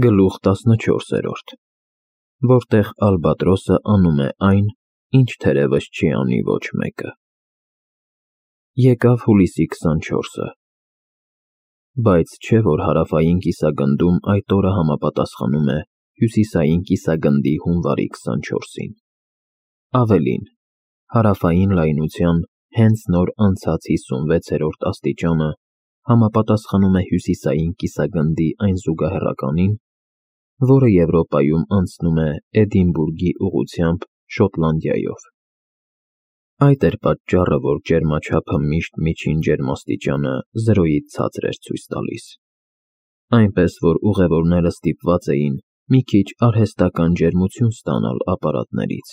Գլուխ 14, որտեղ Ալբատրոսը անում է այն, ինչ թերևս չի անի ոչ մեկը։ Եկավ հուլիսի 24-ը, բայց չէ, որ հարավային կիսագնդում այդ օրը համապատասխանում է հյուսիսային կիսագնդի հունվարի 24-ին։ Ավելին, հարավային լայնության հենց նոր անցած 56-րդ աստիճանը համապատասխանում է հյուսիսային կիսագնդի այն զուգահեռականին, որը Եվրոպայում անցնում է Էդինբուրգի ուղղությամբ Շոտլանդիայով։ Այդ էր պատճառը, որ ջերմաչափը միշտ միջին ջերմաստիճանը 0-ից ցածր էր ցույց տալիս, այնպես որ ուղևորները ստիպված էին մի քիչ արհեստական ջերմություն ստանալ ապարատներից,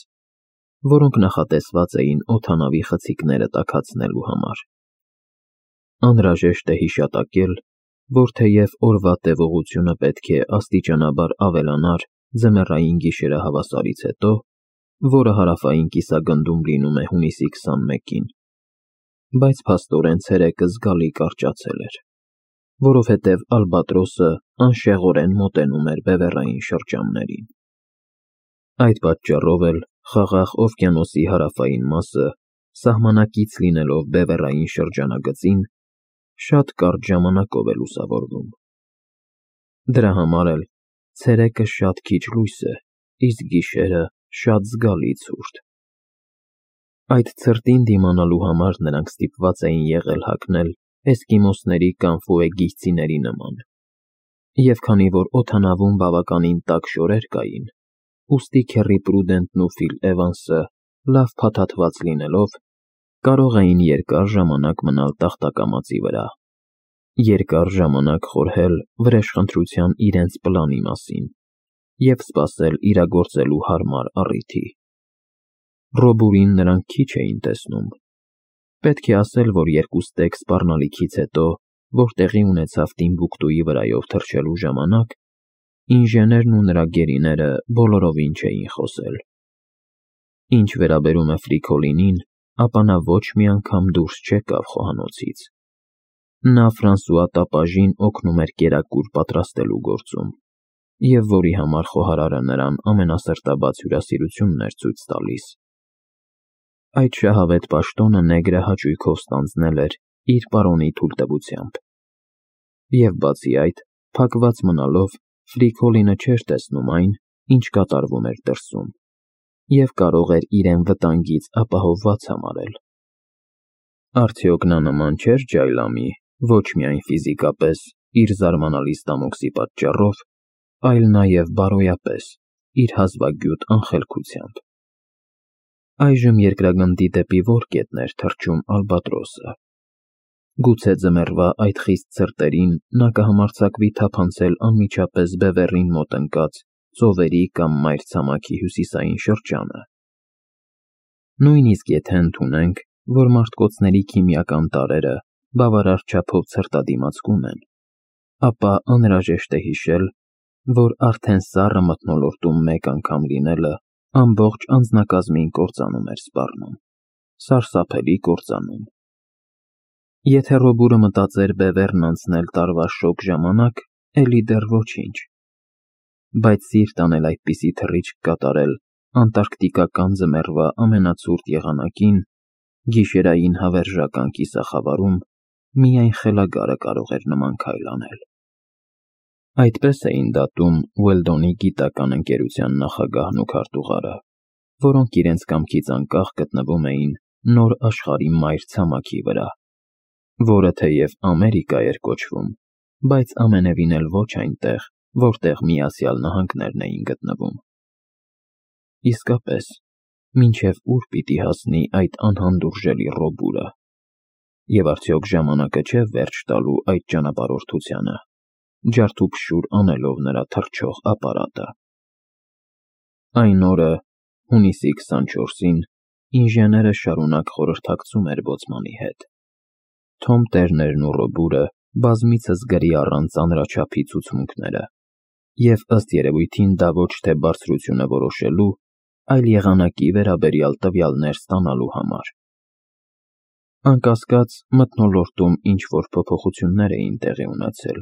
որոնք նախատեսված էին օդանավի խցիկները տաքացնելու համար։ Անհրաժեշտ է հիշատակել, որ թեև օրվա տևողությունը պետք է աստիճանաբար ավելանար ձմեռային գիշերը հավասարից հետո, որը հարավային կիսագնդում լինում է հունիսի 21-ին, բայց փաստորեն ցերեկը զգալի կարճացել էր, որովհետև Ալբատրոսը անշեղորեն մոտենում էր բևեռային շրջաններին։ Այդ պատճառով էլ Խաղաղ օվկիանոսի հարավային մասը, սահմանակից լինելով բևեռային շրջանագծին, շատ կարճ ժամանակով է լուսավորվում։ Դրա համար էլ ցերեկը շատ քիչ լույս է, իսկ գիշերը շատ զգալի ցուրտ։ Այդ ցրտին դիմանալու համար նրանք ստիպված էին եղել հագնել էսկիմոսների կամ ֆուեգիհցիների նման, և քանի որ օդանավում բավականին տաք շորեր կային, ուստի Քեռի Պրուդենտն ու Ֆիլ Էվանսը, լավ փաթաթված լինելով, կարող էին երկար ժամանակ մնալ տախտակամածի վրա, երկար ժամանակ խորհել վրեժխնդրության իրենց պլանի մասին և սպասել իրագործելու հարմար առիթի։ Ռոբուրին նրանք քիչ էին տեսնում։ Պետք է ասել, որ երկու ստեկ սպառնալիքից հետո, որ տեղի ունեցավ Տիմբուկտուի վրայով թռչելու ժամանակ, ինժեներն ու նրա գերիները բոլորովին չէին խոսել։ Ինչ վերաբերում է Ֆրիկոլինին, ապա նա ոչ մի անգամ դուրս չեկավ խոհանոցից։ Նա Ֆրանսուଆ տապաժին օգնում էր կերակուր պատրաստելու գործում, և որի համար խոհարարը նրան ամենասրտաբաց հյուրասիրությունն էր ցույց տալիս։ Այդ շահավետ պաշտոնը նեգրը հաճույքով ստանձնել էր իր պարոնի թույլտվությամբ։ Եվ բացի այդ, փակված մնալով, Ֆրիկոլինը չէր տեսնում այն, ինչ կատարվում էր դրսում, և կարող էր իրեն վտանգից ապահովված համարել։ Արդյոք նա նման չէր ջայլամի, ոչ միայն ֆիզիկապես, իր զարմանալի ստամոքսի պատճառով, այլ նաև բարոյապես, իր հազվագյուտ անխելքությամբ։ Այժմ երկրագնդի դեպի որ կետն էր թռչում Ալբատրոսը։ Գուցե ձմեռվա այդ խիստ ցրտերին նա կհամարձակվի թափանցել անմիջապես բևեռին մոտ ընկած ծովերի կամ մայրցամաքի հյուսիսային շրջանը։ Նույնիսկ եթե ընդունենք, որ մարտկոցների քիմիական տարրերը բավարար չափով ցրտադիմացկուն են, ապա անհրաժեշտ է հիշել, որ արդեն սառը մթնոլորտում մեկ անգամ լինելը ամբողջ անձնակազմին կործանում էր սպառնում, սարսափելի կործանում։ Եթե Ռոբուրը մտածեր բևեռն անցնել տարվա շոգ ժամանակ, էլի դեռ ոչինչ, բայց սիրտ անել այդպիսի թռիչք կատարել անտարկտիկական ձմեռվա ամենացուրտ եղանակին, գիշերային հավերժական կիսախավարում, միայն խելագարը կարող էր նման քայլ անել։ Այդպես էին դատում Ուելդոնի գիտական ընկերության նախագահն ու քարտուղարը, որոնք իրենց կամքից անկախ գտնվում էին նոր աշխարհի մայրցամաքի վրա, որը թեև Ամերիկա էր կոչվում, բայց ամենևին էլ ոչ այնտեղ, որտեղ Միացյալ Նահանգներն էին գտնվում։ Իսկապես, մինչև ուր պիտի հասնի այդ անհանդուրժելի Ռոբուրը, և արդյոք ժամանակը չէ վերջ տալու այդ ճանապարհորդությանը, ջարդուփշուր անելով նրա թռչող ապարատը։ Այն օրը, հունիսի 24-ին, ինժեները շարունակ խորհրդակցում էր բոցմանի հետ։ Թոմ Տերներն ու Ռոբուրը բազմիցս գրի առան ծանրաչափի ցուցմունքները, և ըստ երևույթին դա ոչ թե բարձրությունը որոշելու, այլ եղանակի վերաբերյալ տվյալներ ստանալու համար։ Անկասկած, մթնոլորտում ինչ-որ փոփոխություններ էին տեղի ունեցել,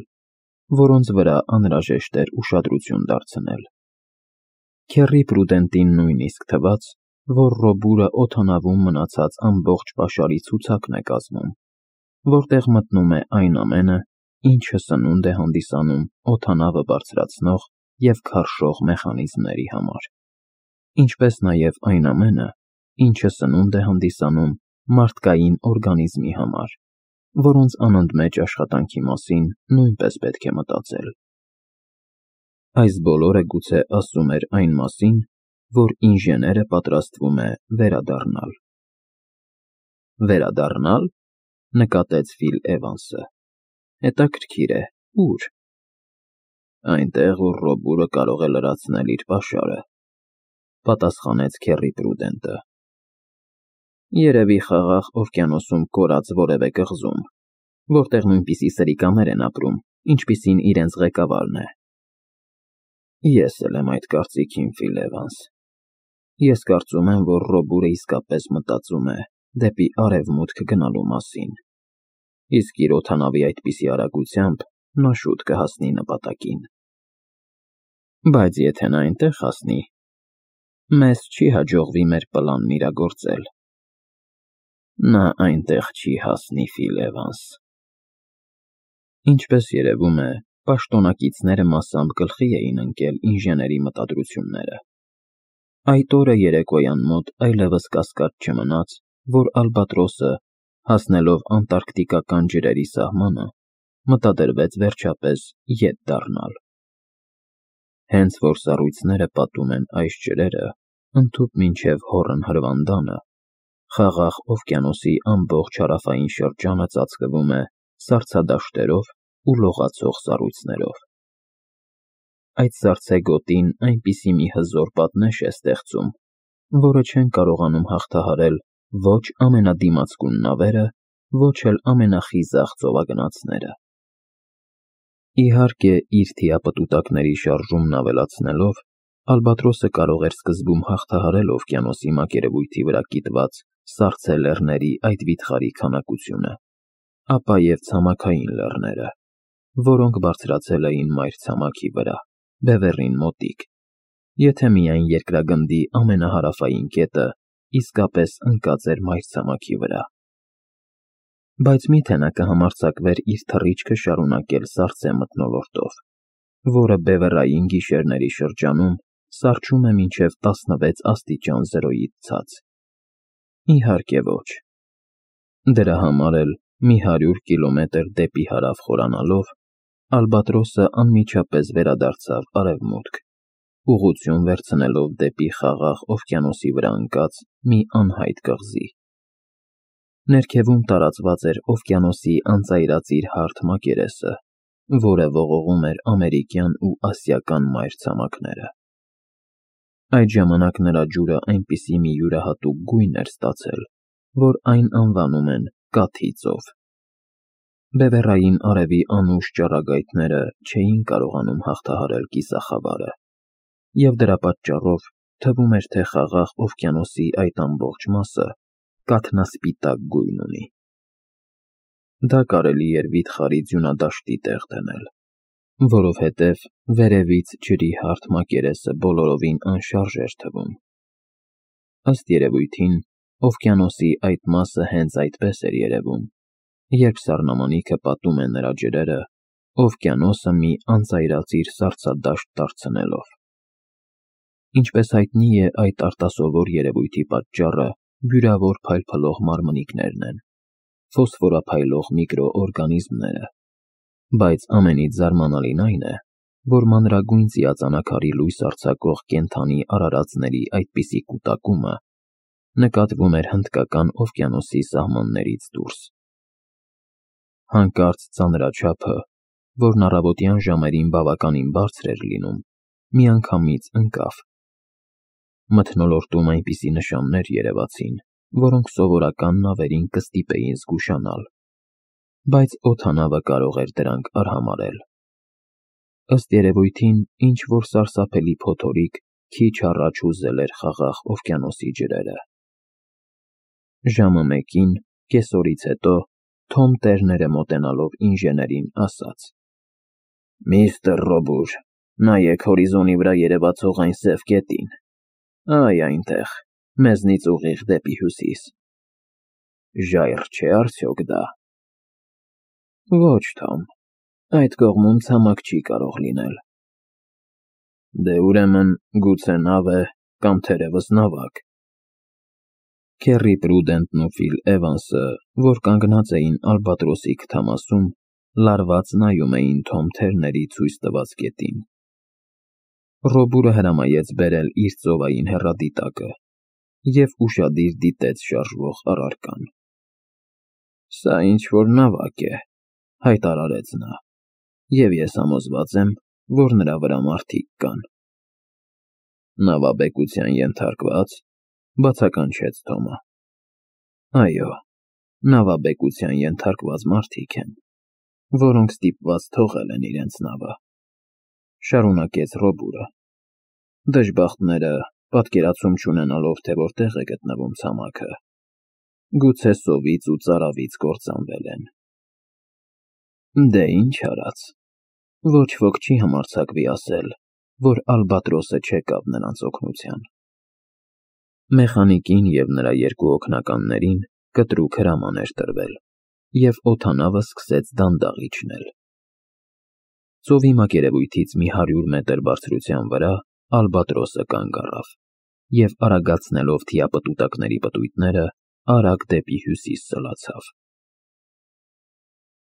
որոնց վրա անհրաժեշտ էր ուշադրություն դարձնել։ Քեռի Պրուդենտին նույնիսկ թվաց, որ Ռոբուրը օդանավում մնացած ամբողջ պաշարի ցուցակն է կազմում, որտեղ մտնում է այն ամենը, ինչը սնունդ է հանդիսանում օդանավը բարձրացնող և քարշող մեխանիզմների համար, ինչպես նաև այն ամենը, ինչը սնունդ է հանդիսանում մարդկային օրգանիզմի համար, որոնց անընդմեջ աշխատանքի մասին նույնպես պետք է մտածել։ Այս բոլորը գուցե ասում էր այն մասին, որ ինժեները պատրաստվում է վերադառնալ։ Վերադառնալ, նկատեց Ֆիլ Էվանսը։ Հետաքրքիր է, ուր։ Այնտեղ, ուր Ռոբուրը կարող է լրացնել իր պաշարը, պատասխանեց Քեռի Պրուդենտը։ Երևի Խաղաղ օվկիանոսում կորած որևէ կղզում, որտեղ նույնպիսի սրիկաներ են ապրում, ինչպիսին իրենց ղեկավարն է։ Ես էլ եմ այդ կարծիքին, Ֆիլ Էվանս։ Ես կարծում եմ, որ Ռոբուրը իսկապես մտածում է դեպի արևմուտք գնալու մասին, իսկ իր օդանավի այդպիսի արագությամբ նա շուտ կհասնի նպատակին։ Բայց եթե նա այնտեղ հասնի, մեզ չի հաջողվի մեր պլանն իրագործել։ Նա այնտեղ չի հասնի, Ֆիլ Էվանս։ Ինչպես երևում է, պաշտոնակիցները մասամբ գլխի էին ընկել ինժեների մտադրությունները։ Այդ օրը երեկոյան մոտ այլևս կասկած չմնաց, որ Ալբատրոսը, հասնելով անտարկտիկական ջրերի սահմանը, մտադրվեց վերջապես ետ դառնալ։ Հենց որ սառույցները պատում են այս ջրերը, ընդհուպ մինչև հոռն հրվանդանը, Խաղաղ օվկիանոսի ամբողջ հարավային շրջանը ծածկվում է սառցադաշտերով ու լողացող սառույցներով։ Այդ սառցե գոտին այնպիսի մի հզոր պատնեշ է ստեղծում, որը չեն կարողանում հաղթահարել ոչ ամենադիմացկուն նավերը, ոչ էլ ամենախիզախ ծովագնացները։ Իհարկե, իր թիապտուտակների շարժումն ավելացնելով, Ալբատրոսը կարող էր սկզբում հաղթահարել օվկիանոսի մակերևույթի վրա կիտված սառցե լեռների այդ վիթխարի քանակությունը, ապա և ցամաքային լեռները, որոնք բարձրացել էին մայրցամաքի վրա, բևեռին մոտիկ, եթե միայն երկրագնդի ամենահարավային կետը իսկապես ընկած էր մայրցամաքի վրա։ Բայց միթե նա կհամարձակվեր իր թռիչքը շարունակել սառցե մթնոլորտով, որը բևեռային գիշերների շրջանում սառչում է մինչև 16 աստիճան 0-ից ցած։ Իհարկե ոչ։ Դրա համար էլ մի 100 կիլոմետր դեպի հարավ խորանալով, Ալբատրոսը անմիջապես վերադարձավ արևմուտք, ուղղություն վերցնելով դեպի Խաղաղ օվկիանոսի վրա ընկած մի անհայտ կղզի։ Ներքևում տարածված էր օվկիանոսի անծայրածիր հարթ մակերեսը, որը ողողում էր ամերիկյան ու ասիական մայրցամաքները։ Այդ ժամանակ նրա ջուրը այնպիսի մի յուրահատուկ գույն էր ստացել, որ այն անվանում են Կաթի ծով։ Բևեռային արևի անուշ ճառագայթները չէին կարողանում հաղթահարել կիսախավարը, և դրա պատճառով թվում էր, թե Խաղաղ օվկիանոսի այդ ամբողջ մասը կաթնասպիտակ գույն ունի։ Դա կարելի էր վիթխարի ձյունադաշտի տեղ դնել, որովհետև վերևից ջրի հարթ մակերեսը բոլորովին անշարժ էր թվում։ Ըստ երևույթին, օվկիանոսի այդ մասը հենց այդպես էր երևում, երբ սառնամանիքը պատում է նրա ջրերը, օվկիանոսը մի անծայրածիր սառցադաշտ դարձնելով։ Ինչպես հայտնի է, այդ արտասովոր երևույթի պատճառը բյուրավոր փայլփլող մարմնիկներն են, ֆոսֆորափայլող միկրոօրգանիզմները, բայց ամենից զարմանալին այն է, որ մանրագույն ծիածանակարի լույս արձակող կենդանի արարածների այդպիսի կուտակումը նկատվում էր Հնդկական օվկիանոսի սահմաններից դուրս։ Հանկարծ ծանրաչափը, որն առավոտյան ժամերին բավականին բարձր էր լինում, միանգամից ընկավ։ Մթնոլորտում այնպիսի նշաններ երևացին, որոնք սովորական նավերին կստիպեին զգուշանալ, բայց օդանավը կարող էր դրանք արհամարհել։ Ըստ երևույթին, ինչ-որ սարսափելի փոթորիկ քիչ առաջ հուզել էր Խաղաղ օվկիանոսի ջրերը։ Ժամը 1-ին, կեսօրից հետո, Թոմ Տերները մոտենալով ինժեներին ասաց. Միստր Ռոբուր, նայեք հորիզոնի վրա երևացող այն սև կետին։ Այ այնտեղ, մեզնից ուղիղ դեպի հյուսիս։ Ժայռ չէ արդյոք դա։ Ոչ, Թոմ, այդ կողմում ցամաք չի կարող լինել։ Դե ուրեմն գուցե նավ է կամ թերևս նավակ։ Քերի Պրուդենտն ու Ֆիլ Էվանսը, որ կանգնած էին Ալբատրոսի քթամասում, լարված նայում էին Թոմ Թերների ցույց տված կետին։ Ռոբուրը հրամայեց բերել իր ծովային հեռադիտակը և ուշադիր դիտեց շարժվող առարկան։ Սա ինչ-որ նավակ է, հայտարարեց նա, և ես համոզված եմ, որ նրա վրա մարդիկ կան։ Նավաբեկության ենթարկված, բացականչեց Թոմը։ Այո, նավաբեկության ենթարկված մարդիկ են, որոնք ստիպված թողել են իրենց նավը, շարունակեց Ռոբուրը։ Դժբախտները, պատկերացում չունենալով, թե որտեղ է գտնվում ցամաքը, գուցե սովից ու ծարավից կործանվել են։ Դե ինչ արած, ոչ ոք չի համարձակվի ասել, որ Ալբատրոսը չեկավ նրանց օգնության։ Մեխանիկին և նրա երկու օգնականներին կտրուկ հրաման էր տրվել, և օդանավը սկսեց դանդաղ իջնել։ Ծովի մակերևույթից մի 100 մետր բարձրության վրա Ալբատրոսը կանգ առավ և արագացնելով թիապտուտակների պտույտները, արագ դեպի հյուսիս սլացավ։